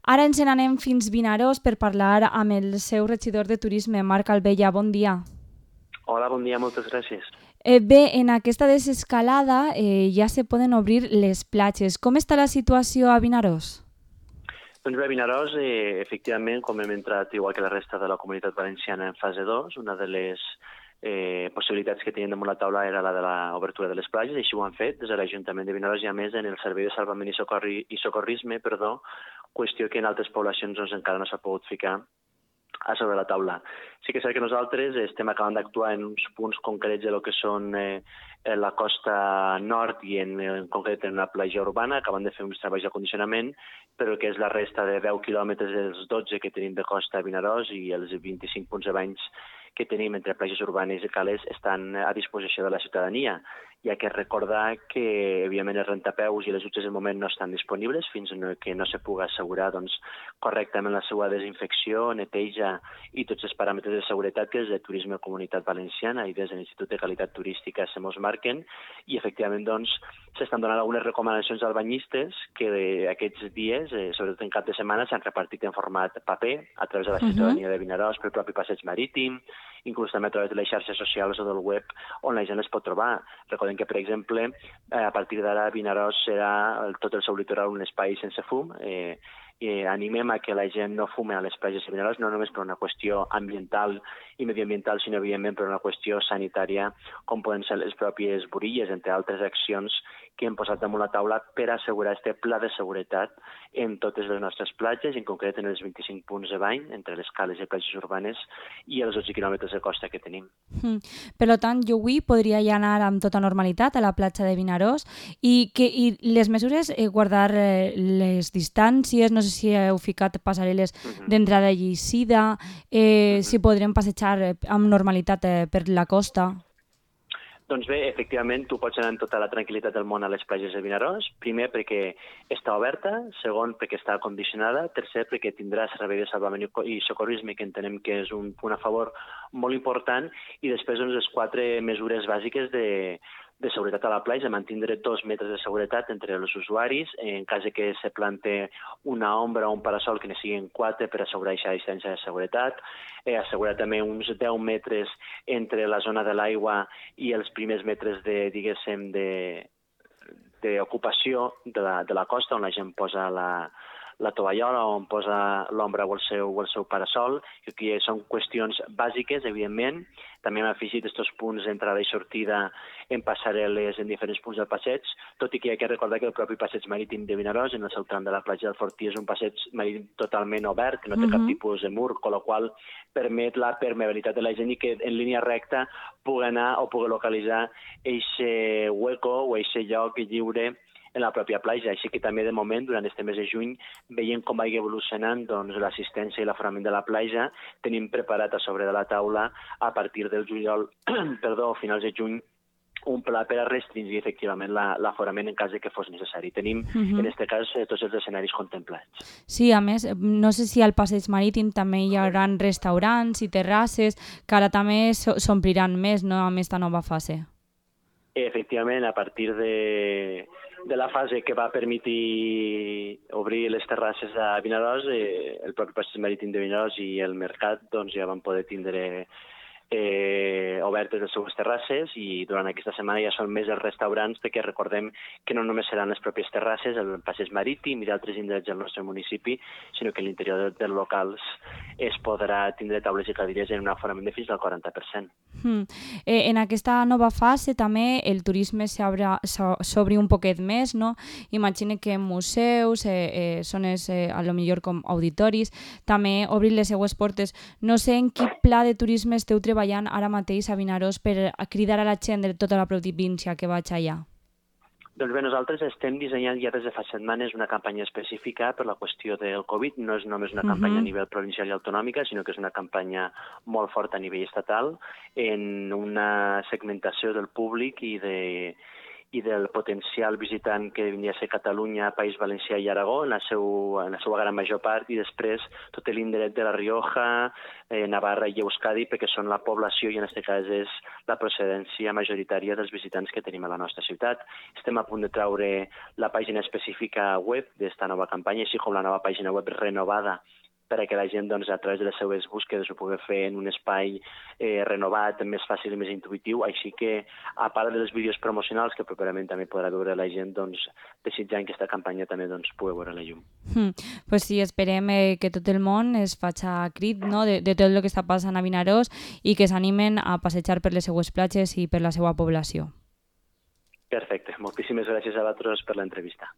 Ara ens n'anem fins Vinaròs per parlar amb el seu regidor de turisme, Marc Albella. Bon dia. Hola, bon dia, moltes gràcies. Bé, en aquesta desescalada ja se poden obrir les platges. Com està la situació a Vinaròs? Doncs bé, a Vinaròs, efectivament, com hem entrat igual que la resta de la Comunitat Valenciana en fase 2, una de les possibilitats que tenien damunt la taula era la de l'obertura de les platges, i així ho han fet des de l'Ajuntament de Vinaròs i a més en el Servei de Salvament i Socorrisme, qüestió que en altres poblacions doncs, encara no s'ha pogut ficar a sobre la taula. Sí que és cert que nosaltres estem acabant d'actuar en uns punts concrets de lo que són la costa nord i en concret en la platja urbana, acabant de fer uns treballs de condicionament, però el que és la resta de 10 quilòmetres dels 12 que tenim de costa a Vinaròs i els 25 punts de banys que tenim entre platges urbanes i cales estan a disposició de la ciutadania. Hi ha que recordar que, evidentment, els rentapeus i les dutxes de moment no estan disponibles fins que no se pugui assegurar correctament la seva desinfecció, neteja i tots els paràmetres de seguretat que des de Turisme Comunitat Valenciana i des de l'Institut de Qualitat Turística se mos marquen, i efectivament s'estan donant algunes recomanacions als banyistes que aquests dies, sobretot en cap de setmana, s'han repartit en format paper a través de la ciutadania de Vinaròs pel propi passeig marítim, inclús també a través de les xarxes socials o del web on la gent es pot trobar. Recordem que, per exemple, a partir d'ara Vinaròs serà tot el seu litoral un espai sense fum. Animem a que la gent no fume a les platges de Vinaròs, no només per una qüestió ambiental i medioambiental, sinó evidentment per una qüestió sanitària, com poden ser les pròpies burilles, entre altres accions que hem posat damunt la taula per assegurar aquest pla de seguretat en totes les nostres platges, en concret en els 25 punts de bany, entre les cales i platges urbanes, i els 12 quilòmetres de costa que tenim. Per tant, jo avui podria ja anar amb tota normalitat a la platja de Vinaròs i les mesures, guardar les distàncies, no sé si heu ficat passarel·les d'entrada i eixida, si podrem passejar amb normalitat per la costa. Doncs bé, efectivament, tu pots anar amb tota la tranquil·litat del món a les platges de Vinaròs, primer perquè està oberta, segon perquè està condicionada, tercer perquè tindrà servei de salvament i socorrisme, que entenem que és un punt a favor molt important, i després les 4 mesures bàsiques de seguretat a la platja, mantindre 2 metres de seguretat entre els usuaris, en cas que se plante una ombra o un parasol que ne siguin 4 per assegurar aquesta distància de seguretat, assegurar també uns 10 metres entre la zona de l'aigua i els primers metres d'ocupació de la costa, on la gent posa la tovallola, on posa l'ombra o el seu parasol, que són qüestions bàsiques, evidentment. També hem afegit aquests punts d'entrada i sortida en passarel·les en diferents punts del passeig, tot i que hi ha que recordar que el propi passeig marítim de Vinaròs, en el seu tram de la platja del Fortí, és un passeig marítim totalment obert, que no té cap tipus de mur, amb la qual permet la permeabilitat de la gent i que en línia recta pugui anar o pugui localitzar aquest hueco o aquest lloc lliure en la pròpia platja. Així que també de moment, durant este mes de juny, veient com vagi evolucionant l'assistència i l'aforament de la platja, tenim preparat a sobre de la taula a partir del juliol, finals de juny, un pla per a restringir efectivament l'aforament en cas de que fos necessari. Tenim, en aquest cas, tots els escenaris contemplats. Sí, a més, no sé si al passeig marítim també hi haurà restaurants i terrasses, que ara també s'ompliran més, no?, amb aquesta nova fase. Efectivament, a partir de la fase que va permetre obrir les terrasses a Vinaròs, el propi passeig marítim de Vinaròs i el mercat ja van poder tindre obertes les seues terrasses, i durant aquesta setmana ja són més els restaurants, perquè recordem que no només seran les pròpies terrasses, el passeig marítim i d'altres indrets del nostre municipi, sinó que a l'interior dels locals es podrà tindre taules i cadires en un aforament de fins al 40%. En aquesta nova fase també el turisme s'obri un poquet més, no? Imagine que museus, zones a lo millor com auditoris, també obrin les seues portes. No sé en quin pla de turisme esteu treballant ara mateix a Vinaròs per cridar a la gent de tota la província que vaig allà. Doncs bé, nosaltres estem dissenyant ja des de fa setmanes una campanya específica per la qüestió del Covid. No és només una campanya a nivell provincial i autonòmica, sinó que és una campanya molt forta a nivell estatal, en una segmentació del públic i i del potencial visitant que vindria a ser Catalunya, País Valencià i Aragó, en la seva gran major part, i després tot l'indret de la Rioja, Navarra i Euskadi, perquè són la població i en aquest cas és la procedència majoritària dels visitants que tenim a la nostra ciutat. Estem a punt de treure la pàgina específica web d'esta nova campanya, així com la nova pàgina web renovada perquè la gent doncs, a través de les seves búsquedes ho pugui fer en un espai renovat, més fàcil i més intuïtiu, així que a part dels vídeos promocionals que properament també podrà veure la gent, doncs, desitjant que aquesta campanya també doncs, pugui veure la llum. Pues sí, esperem que tot el món es faci crit, no? de tot el que està passant a Vinaròs i que s'animen a passejar per les seues platges i per la seva població. Perfecte. Moltíssimes gràcies a vosaltres per l'entrevista.